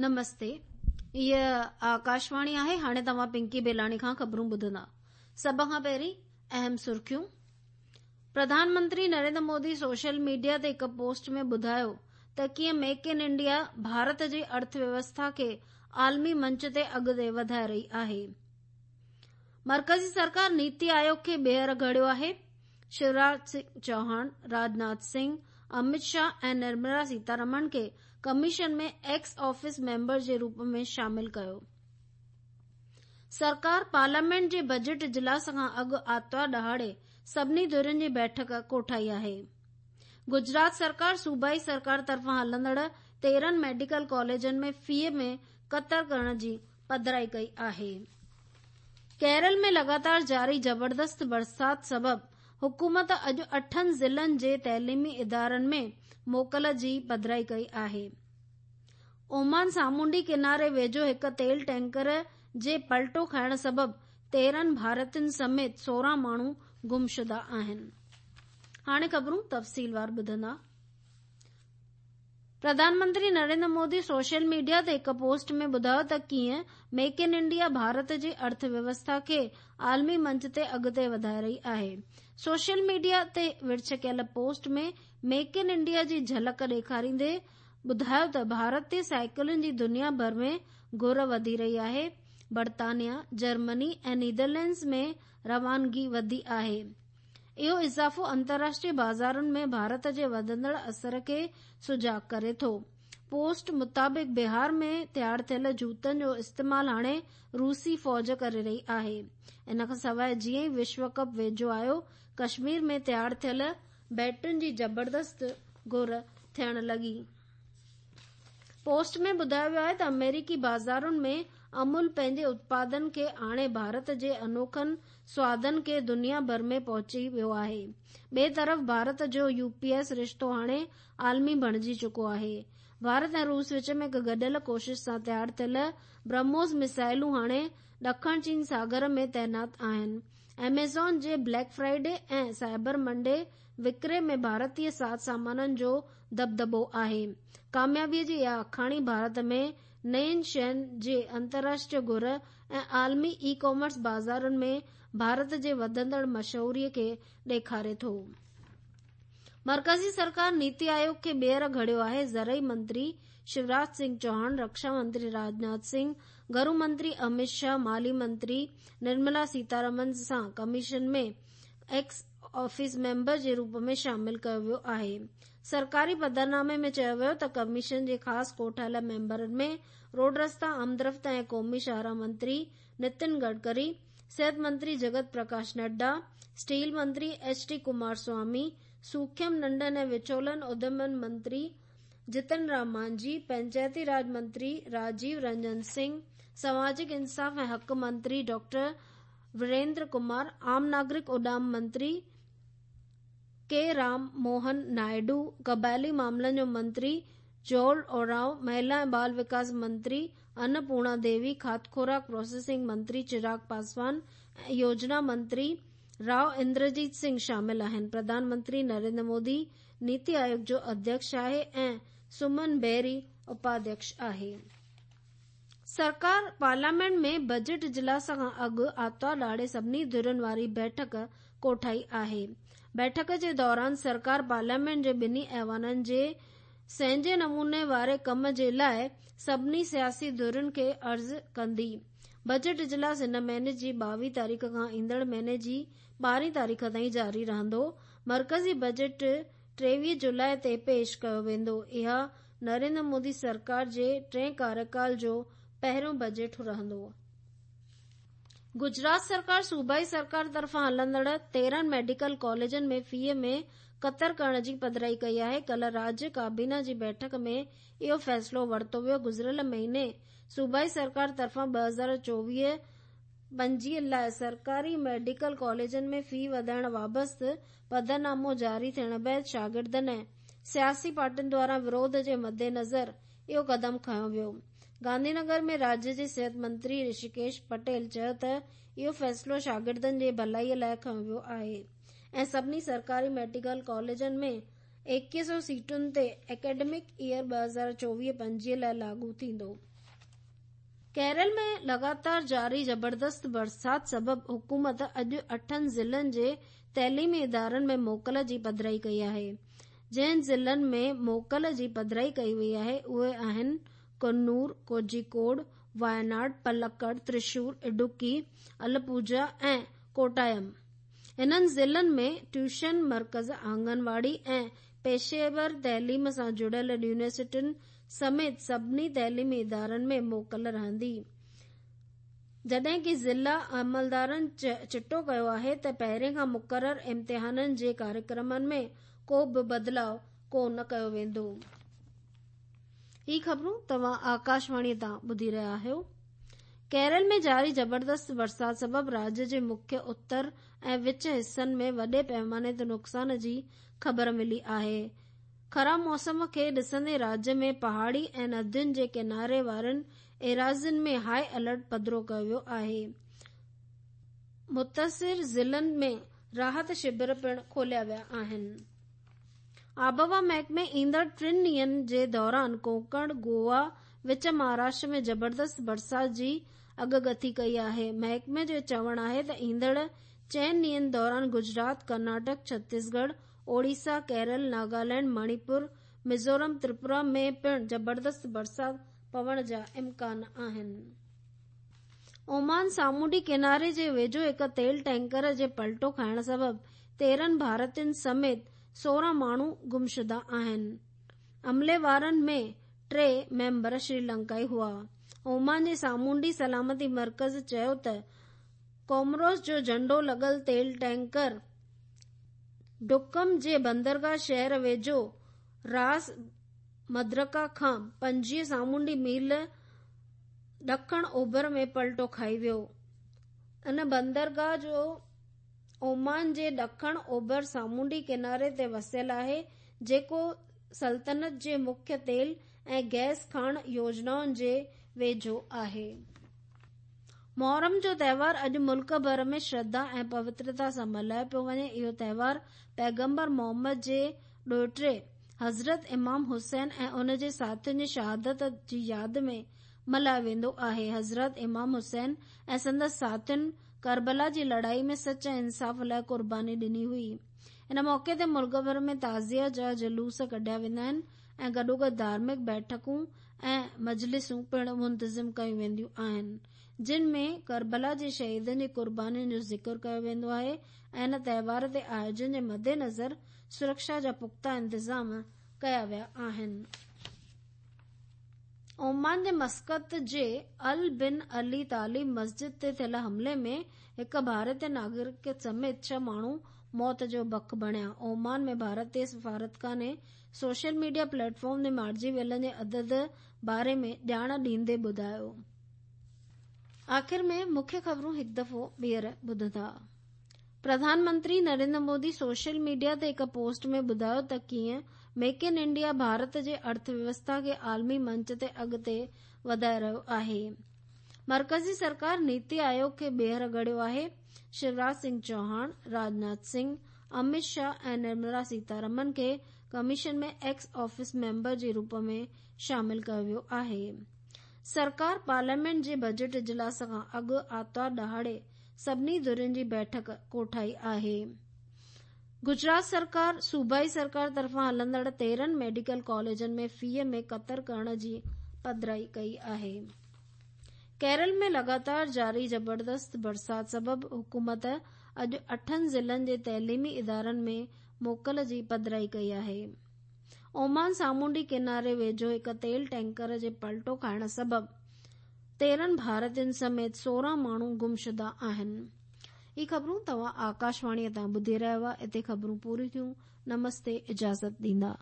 نمستي هيء آڪاشواڻي آهي هاڻي توهان پنڪي بيلاڻي کان خبرون ٻڌندا سڀ کان پهرين اهم سرخيون پرڌان منتري نريندر مودي سوشل ميڊيا تي هڪ پوسٽ ۾ ٻڌايو ته ڪيئن ميڪ ان انڊيا ڀارت جي ارٿ ويوسٿا کي عالمي منچ تي اڳتي وڌائي رهي آهي مرڪزي سرڪار نيتي آيوگ کي ٻيهر گهڙيو آهي شيوراج سنگهه چوهاڻ، راجناٿ سنگهه، امت شاهه ۽ نرملا سيتارمن کي ڪميشن ۾ ايڪس آفيس ميمبر جي روپ ۾ شامل ڪيو. سرڪار پارليامينٽ جي بجيٽ اجلاس کان اڳ آتوار ڏهاڙي سڀني ڌرين جي بيٺڪ ڪوٺائي آهي. گجرات سرڪار صوبائي سرڪار طرفان هلندڙ 13 ميڊيڪل ڪاليجن ۾ في ۾ ڪتر ڪرڻ جي پڌرائي ڪئي آهي. ڪيرل ۾ لڳاتار جاري زبردست برسات سبب حڪومت اڄ اٺن ضلعن جي تعليمي ادارن ۾ موڪل جي پڌرائي ڪئي آهي. اومان سامونڊي ڪناري ويجهو هڪ تيل ٽينڪر جي پلٽو کائڻ سبب 13 ڀارتين سميت 16 ماڻهو گمشده آهن. هاڻي خبرون تفصيلوار ٻڌندا. پرڌان منتري نريندر مودي سوشل ميڊيا تي هڪ پوسٽ ۾ ٻڌايو ته ڪيئن ميڪ ان انڊيا ڀارت جي ارٿ ويوسٿا کي عالمي منچ تي اڳتي وڌائي رهي آهي. سوشل ميڊيا تي ورڇ ڪيل پوسٽ ۾ ميڪ ان انڊيا جي جهلڪ ڏيکاريندي ٻڌايو ته ڀارتي سائيڪلن جي دنيا ڀر ۾ گهر وڌي رهي آهي، برطانيا، جرمني ۽ نيدرلينڊز ۾ روانگي وڌي آهي. اهو اضافو انترراشٽريه بازارن ۾ ڀارت جي وڌندڙ اثر کي سجاڳ ڪري ٿو. پوسٽ مطابق بهار ۾ تيار ٿيل جوتن جو استعمال هاڻي روسي فوج ڪري رهي آهي. ان کان سواء جيئن ئي وشو ڪپ ويجهو آيو ڪشمير ۾ تيار ٿيل بيٽن جي زبردست گهر ٿيڻ لڳي. پوسٽ ۾ ٻڌايو ويو آهي ته آمريڪي بازارن ۾ امول پنهنجي اتپادن کي آڻي ڀارت جي انوکن سوادن کي دنيا ڀر ۾ پهچي ويو آهي. ٻئي طرف ڀارت جو يو پي ايس رشتو هاڻي عالمي بڻجي چڪو آهي. ڀارت ۽ روس وچ ۾ هڪ گڏيل ڪوشش سان تيار ٿيل برهموس ميسائلون هاڻي ڏکڻ چين ساگر ۾ تعينات آهن. ايميزون جي بليڪ فرائيڊي ۽ سائبر منڊي وڪري ۾ ڀارتي ساز سامانن جو دٻدٻو آهي. ڪاميابيء جي اها آکاڻي ڀارت ۾ نين شين جي انترراشٽريه گهر ۽ عالمي اي ڪامرس بازارن ۾ ڀارت جي وڌندڙ مشهوريء کي ڏيکاري ٿو. مرڪزي سرڪار نيتي آيوگ کي ٻيهر گهڙيو آهي، زرعي منتري شيوراج سنگهه چوهاڻ، رڪشا منتري راجناٿ سنگهه، گهرو منتري امت شاهه، مالي منتري نرملا سيتارمن سان ڪميشن ۾ ايڪس آفيس ميمبر جي روپ ۾ شامل ڪيو ويو آهي. سرڪاري پڌرنامي ۾ چيو ويو ته ڪميشن جي خاص ڪوٺايل ميمبرن ۾ روڊ رستا، آمدرفت ۽ قومي شاهراهه منتري نتن گڊڪري، صحت منتري جگت پرڪاش نڊا، اسٽيل منتري ايڇ ڊي ڪمار سوامي، سوکيم ننڍن ۽ وچولن اديمن منتري جتن رام مانجهي، پنچائتي راڄ منتري راجيو رنجن سنگهه، سماجڪ انصاف ۽ حق منتري ڊاڪٽر وريندر ڪمار، عام ناگرڪ اڏام منتري ڪي رام موهن نائيڊو، قبائلي معاملن جو منتري جوئل اورائو، مهلا ۽ ٻال وڪاس منتري ان پورڻا ديوي، کاڌ خوراڪ پروسيسنگ منتري چراغ پاسوان ۽ يوجنا منتري رائو اندرجيت سنگهه شامل آهن. پرڌان منتري نريندر مودي نيتي آيوگ جو اڌيڪش آهي ۽ سمن بيري اپاڌيڪش آهي. سرڪار پارليامينٽ ۾ بجيٽ اجلاس کان اڳ آتوار ڏهاڙي سڀني ڌرين واري بيٺڪ ڪوٺائي آهي. بيٺڪ جي دوران سرڪار پارليامينٽ جي ٻنهي ايوانن جي سهنجي نموني واري ڪم جي لاء سڀني سياسي ڌرين کي عرض ڪندي. بجيٽ اجلاس هن مهيني جي 22 تاريخ کان ايندڙ مهيني جي 12 تاريخ تائين جاري رهندو. مرڪزي بجيٽ 23 جولاء تي پيش ڪيو ويندو. اها نريندر مودي سرڪار جي ٽئين ڪاريڪال جو پهريون بجيٽ رهندو. گجرات سرڪار صوبائي سرڪار طرفان هلندڙ 13 ميڊيڪل ڪاليجن ۾ في ۾ ڪتر ڪرڻ جي پڌرائي ڪئي آهي. ڪلهه راڄ ڪابينا جي بيٺڪ ۾ اهو فيصلو ورتو ويو. گذريل مهيني صوبائي سرڪار طرفان 2024 25 لاء سرڪاري ميڊيڪل ڪاليجن ۾ في وڌائڻ بابت پڌرنامو جاري ٿيڻ بعد شاگردن ۽ سياسي پارٽين دواران وروڌ جي مدنظر اهو قدم کنيو ويو. گانڌي نگر ۾ راڄ جي صحت منتري رشيڪيش پٽيل چيو ته اهو فيصلو شاگردن جي ڀلائي لاء کنيو ويو آهي ۽ سڀني سرڪاري ميڊيڪل ڪاليجن ۾ 21 سو سيٽن تي اڪيڊمڪ ايئر 2024 25 لاء لاڳو ٿيندو. ڪيرل ۾ لڳاتار جاري زبردست برسات سبب حڪومت اڄ اٺن ضلعن جي تعليمي ادارن ۾ موڪل جي پڌرائي ڪئي آهي. جن ضلعن ۾ موڪل جي پڌرائي ڪئي وئي آهي اهي آهن ڪنور، ڪوجيڪوڊ، وايناڊ، پلڪڙ، ترشور، اڊوڪي، الپوجا ۽ ڪوٽايم. انهن ضلعن ۾ ٽيوشن مرڪز، آنگنواڙي ۽ پيشيور تعليم سان جڙيل يونيورسٽين سميت سڀني تعليمي ادارن ۾ موڪل رهندي. جڏهن ڪه ضلع عملدارن چٽو ڪيو آهي ته پهرين کان مقرر امتحانن جي ڪاريڪرمن ۾ ڪو به بدلاء ڪو نه ڪيو ويندو. هي خبرون توهان آڪاشواڻي تان ٻڌي رهيا آهيو. ڪيرل ۾ جاري زبردست برسات سبب راڄ جي مکيه اتر ۽ وچ حصن ۾ وڏي پيماني تي نقصان جي خبر ملي آهي. خراب موسم کي ڏسندي راڄ ۾ پهاڙي ۽ ندين جي ڪناري وارين ايراضين ۾ هاء الرٽ پڌرو ڪيو ويو آهي. متاثر ضلعن ۾ راحت شبر پڻ کوليا ويا آهن. آبهوا محڪمي ايندڙ ٽن ڏينهن جي دوران ڪونڪڻ، گوا، وچ مهاراشٽر ۾ زبردست برسات جي اڳڪٿي ڪئي آهي. محڪمي جو چوڻ آهي ته ايندڙ چئن ڏينهن دوران گجرات، ڪرناٽڪ، ڇتيسڳڙهه، اوڙيسا، ڪيرل، ناگالينڊ، مڻيپور، ميزورم، تريپورا ۾ پڻ زبردست برسات پوڻ جا امڪان آهن. اومان سامونڊي ڪناري جي ويجهو هڪ تيل ٽينڪر جي پلٽو کائڻ سبب 13 ڀارتين سميت 16 ماڻهو گمشده آهن. عملي وارن ۾ ٽي ميمبر شريلنڪائي هئا. اومان جي سامونڊي سلامتي مرڪز چيو ته ڪومروس جو جهنڊو لڳل تيل ٽينڪر ڊڪم جي بندرگاهه شهر ويجهو راس مدرڪا کان 25 سامونڊي ميل ڏکڻ اوڀر ۾ پلٽو کائي ويو. ان بندرگاهه جو اومان جي ڏکڻ اوڀر سامونڊي ڪناري تي وسيل آهي، جيڪو سلطنت جي مکيه تيل ۽ گئس کاڻ يوجنائن جي ويجهو آهي. محرم جو تهوار اڄ ملڪ ڀر ۾ شرڌا ۽ پوترتا سان ملهايو پيو وڃي. اهو تهوار پيغمبر محمد جي ڏوهٽي حضرت امام حسين ۽ ان جي ساٿين جي شهادت جي ياد ۾ ملهايو ويندو آهي. حضرت امام حسين ۽ سندس ساٿين ڪربلا جي لڙائي ۾ سچ ۽ انصاف لاء قرباني ڏني هئي. ان موقعي تي ملڪ ڀر ۾ تعزيه جا جلوس ڪڍيا ويندا آهن ۽ گڏوگڏ ڌارمڪ بيٺڪون ۽ مجلسون پڻ منتظم ڪيون وينديون آهن، جن ۾ ڪربلا جي شهيدن جي قربانين جو ذڪر ڪيو ويندو آهي ۽ ان تهوار تي آيوجن جي مدنظر سرڪشا جا پختا انتظام ڪيا ويا آهن. اومان جي مسقط جي ال بن علي طالب مسجد تي ٿيل حملي ۾ هڪ ڀارتي ناگرڪ سميت ڇهه ماڻهو موت جو بک بڻيا. اومان ۾ ڀارتي سفارتخاني سوشل ميڊيا پليٽ فارم تي مارجي ويلن جي عدد باري ۾ ڄاڻ ڏيندي ٻڌايو. آخر ۾ مکيه خبرون هڪ دفعو ٻيهر ٻڌندا. پرڌان منتري نريندر مودي سوشل ميڊيا تي هڪ پوسٽ ۾ ٻڌايو ته ڪيئن ميڪ ان انڊيا ڀارت جي ارٿ ويوسٿا کي عالمي منچ تي اڳتي وڌائي رهيو آهي. مرڪزي سرڪار نيتي آيوگ کي ٻيهر گهڙيو آهي. شيوراج سنگهه چوهاڻ، راجناٿ سنگهه، امت شاهه ۽ نرملا سيتارمن کي ڪميشن ۾ ايڪس آفيس ميمبر جي روپ ۾ شامل ڪيو ويو آهي. سرڪار پارليامينٽ جي بجيٽ اجلاس کان اڳ آتوار ڏهاڙي سڀني ڌرين جي بيٺڪ ڪوٺائي آهي. گجرات سرڪار صوبائي سرڪار طرفان هلندڙ 13 ميڊيڪل ڪاليجن ۾ فيء ۾ ڪتر ڪرڻ جي پڌرائي ڪئي آهي. ڪيرل ۾ لڳاتار جاري زبردست برسات سبب حڪومت اڄ اٺن ضلعن جي تعليمي ادارن ۾ موڪل جي پڌرائي ڪئي آهي. اومان سامونڊي ڪناري ويجهو هڪ تيل ٽينڪر جي پلٽو کائڻ سبب 13 ڀارتين سميت 16 ماڻهو گمشده آهن. هي خبرون توهان آڪاشواڻي تان ٻڌي رهيا هئا. اتي خبرون پوريون ٿيون. نمستي اجازت ڏيندا.